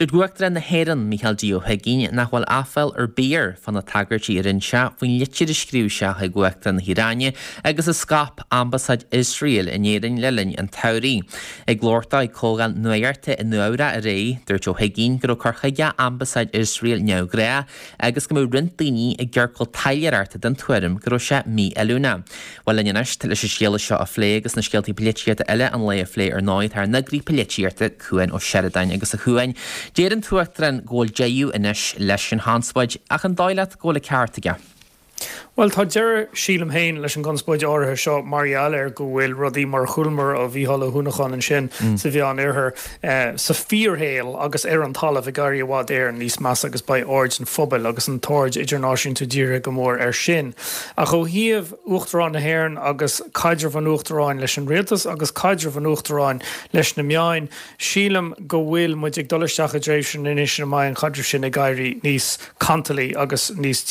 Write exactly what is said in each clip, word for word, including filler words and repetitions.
Dúirt Uachtarán na hÉireann Micheál D. Ó hUigínn nach bhfuil aiféala ar bith air fá na tagairtí a rinne sé faoin litir a scríobh sé chuig Uachtarán na hIaráine agus a scaip Ambasáid Iosrael in Éirinn le linn an tsamhraidh. Ag labhairt dó ag comhdháil nuachta i Nua-Eabhrac aréir, dúirt Ó hUigínn go raibh cur chuige Ambasáid Iosrael neamhghnách agus go mbeadh roinnt daoine i gciorcal taidhleoireachta den tuairim go raibh sé mífheiliúnach. Bhuel linn anois leis an scéal seo a phlé agus na scéaltaí polaitíochta eile an lae a phlé ar ndóigh tá ár n-eagraí polaitíochta Cuan Ó Seireadáin agus a Chuain. Deir an tUachtarán go bhfuil deireadh anois leis an chonspóid ach an dóigh leat go bhfuil an ceart aige. Well tá deireadh sílim féin leis an gconspóid áirithe seo mar gheall ar go bhfuil rudaí mar a chualamar ó Mhícheál Ó hUanacháin ansin mm. sa Mheánoirthear eh, sa fíorshaol agus ar an talamh ag éirí i bhfad Éireann níos measa agus beidh aird an phobail agus an t-aird idirnáisiúnta dírithe go mór air sin. Ach ó thaobh Uachtarán na hÉireann agus caidreamh an Uachtaráin leis an rialtas agus caidreamh an Uachtaráin leis na meáin, sílim go bhfuil muid ag dul isteach i dtréimhse anois ina mbeidh an caidreamh sin ag éirí níos cantalaí agus níos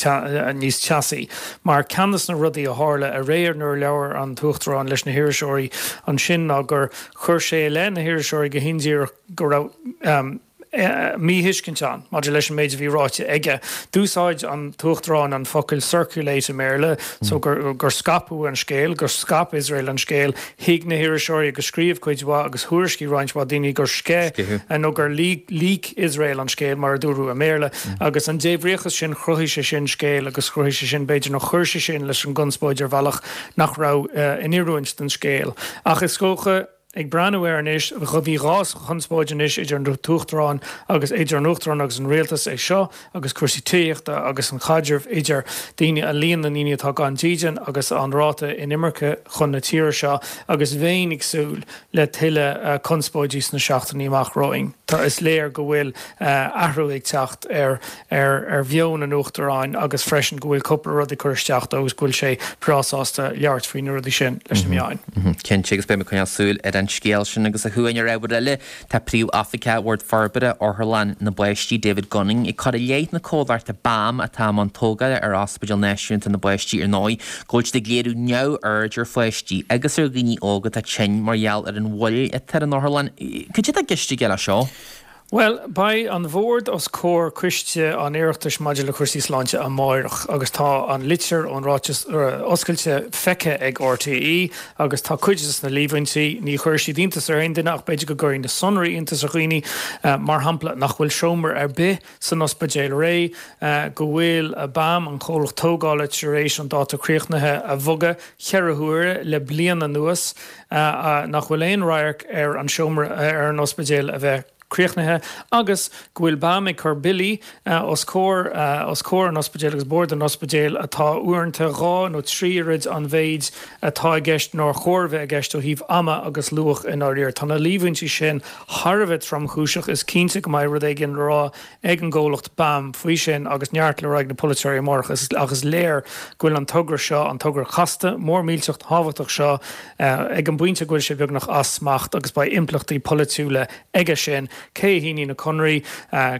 níos teasaí. Mar ceann de na rudaí a tharla aréir nuair a labhair an tUachtarán leis na hiriseoirí ansin ná gur chuir sé i leith na hiriseoirí go hindíreach go raibh um, míthuiscint ann maidir leis an méid a bhí ráite aige. D'úsáid an tUachtarán an focal circulate i mBéarla so gur, gur scaipeadh an scéal, gur scaip Iosrael an scéal, thuig na hiriseoirí agus scríobh cuid mhaith agus thuairiscigh roinnt mhaith daoine gur sceith nó gur leak Iosrael an scéal mar a dúradh i mBéarla mm. agus an débhríochas sin chruthaigh sé sin scéal agus chruthaigh sé sin b'fhéidir nó chuir sé sin leis an gconspóid ar bhealach nach raibh uh, in oiriúint don scéal. Ach is dócha ag breathnú air anois bhí dhá chonspóid anois idir an tUachtarán agus idir an Uachtarán agus an rialtas é seo agus cúrsaí tithíochta agus an chaidreamh idir daoine a líon na ndaoine atá gan dídean agus an ráta inimirce chun na tíre seo agus bheinn ag súil le tuilleadh uh, conspóidí sna seachtainí amach romhainn. Tá is léir go bhfuil uh, athrú ag teacht ar ar ar mheon an Uachtaráin agus freisin go bhfuil cúpla rud ag cur isteach agus go bhfuil sé breá sásta labhairt faoi na rudaí sin leis na meáin. Cinnte agus beidh coinneáil súil ar an scéal sin agus a Chuain ar ábhar eile tá príomhoifigeach Bhord Forbartha Otharlann na bPáistí David Gunning ag cur i leith na comhlachta BAM atá i mbun tógála ar Ospidéal Náisiúnta na bPáistí ar ndóigh, go bhfuil siad ag léiriú neamhaird ar pháistí agus ar dhaoine óga atá tinn mar gheall ar an mhoill atá ar an otharlann. Cad é atá i gceist aige leis seo. Well, beidh an bord os comhair coiste an Oireachtais maidir le cúrsaí sláinte amárach agus tá an litir ón ráiteas oscailte feicthe ag RTÉ agus tá cuid de na líomhaintí ní chuirfidh siad iontas ar aon duine ach b'fhéidir go gcuirfidh na sonraí iontas ar dhaoine mar shampla nach bhfuil seomra ar bith san ospidéal réidh go bhfuil BAM an comhlacht tógála tar éis an dáta críochnaithe a bhogadh ceithre huaire le bliain anuas nach bhfuil aon radharc ar an seomra ar an ospidéal a bheith críochnaithe agus go bhfuil BAM ag cur billí uh, os comhair uh, os comhair an ospidéal agus bord an ospidéal atá uaireanta dhá nó trí oiread an mhéid atá i gceist nár chóir bheith i gceist ó thaobh ama agus luach in áirithe. Tá na líomhaintí sin thar a bheith tromchúiseach is cinnte go mbeidh rud éigin le rá ag an gcomhlacht BAM faoi sin agus neart le rá ag na polaiteoirí amárach agus léir go bhfuil an togra seo an togra casta mór millteach tábhachtach seo uh, ag an bpointe go bhfuil sé beagnach as smacht agus beidh impleachtaí polaitiúla aige sin cé a shínigh na conarthaí,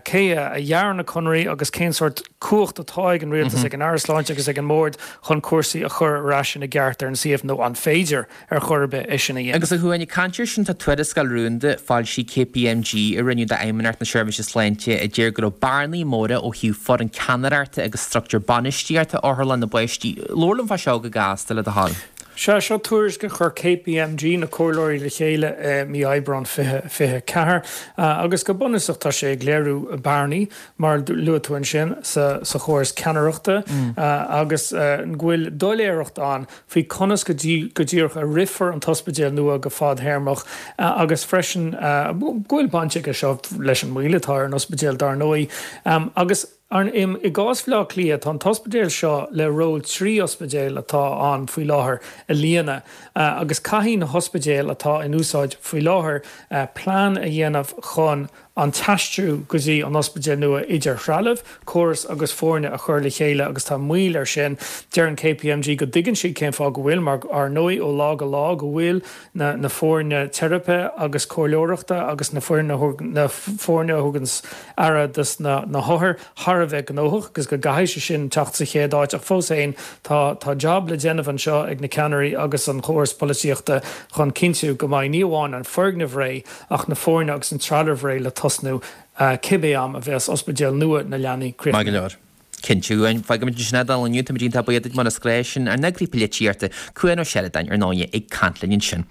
cé a dhear na conarthaí agus cén sórt cumhacht atá ag an rialtas mm -hmm. ag an Aire Sláinte agus ag an mbord chun cúrsaí a chur ar ais ina gceart ar an suíomh nó an féidir ar chor ar bith é sin a dhéanamh. Agus a Chuain caint air sin tá tuarascáil rúnda foilsithe KPMG a rinneadh d'Fheidhmeannacht na Seirbhíse Sláinte a deir go raibh bearnaí móra ó thaobh foireann ceannaireachta agus struchtúr bainistíochta Otharlann na bPáistí. Labhair liom fá seo go gasta le do thoil. Sea seo tuairisc a chuir KPMG na comhairleoirí le chéile uh, mí Aibreán fiche fiche ceathair uh, agus go bunúsach tá sé ag léiriú bearnaí mar luaigh tú ansin sa, sa chóras ceannaireachta mm. uh, agus uh, go bhfuil doiléireacht ann faoi conas go go díreach a rithfear an t-ospidéal nua go fadtéarmach uh, agus freisin uh, go bhfuil baint aige seo leis an moill atá ar an ospidéal dar ndóigh um, agus Ar im i gcás Bhaile Átha Cliath tá an t-ospidéal seo le ról trí ospidéal atá ann faoi láthair a líonadh uh, agus caithfidh na hospidéil atá in úsáid faoi láthair uh, plean a dhéanamh chun an t-aistriú go dtí an ospidéal nua idir threalamh, córas agus foirne a chur le chéile agus tá moill air sin deir an KPMG go dtuigeann siad cén fáth go bhfuil mar ar ndóigh ó lá go lá go bhfuil na, na foirne teiripe agus comhairleoireachta agus na foirne na foirne a thugann aire dos na, na hothair thar a bheith gnóthach agus go gcaithfidh sé sin teacht sa chéad áit ach fós féin tá tá job le déanamh anseo ag na ceannairí agus an chóras polaitíochta chun cinntiú go mbeidh ní amháin an foirgneamh réidh ach na foirne agus an trealamh réidh le tosnú cibé am a bheas ospidéal nua na leanaí críochnaithe. Maith go leor. Cinnte, fágfaimid ansin é don inniu, táimid iontach buíoch duit mar as gcré sin ár n-eagraí polaitíochta, Cuan Ó Seireadáin, ar ndóigh, ag caint linn ansin.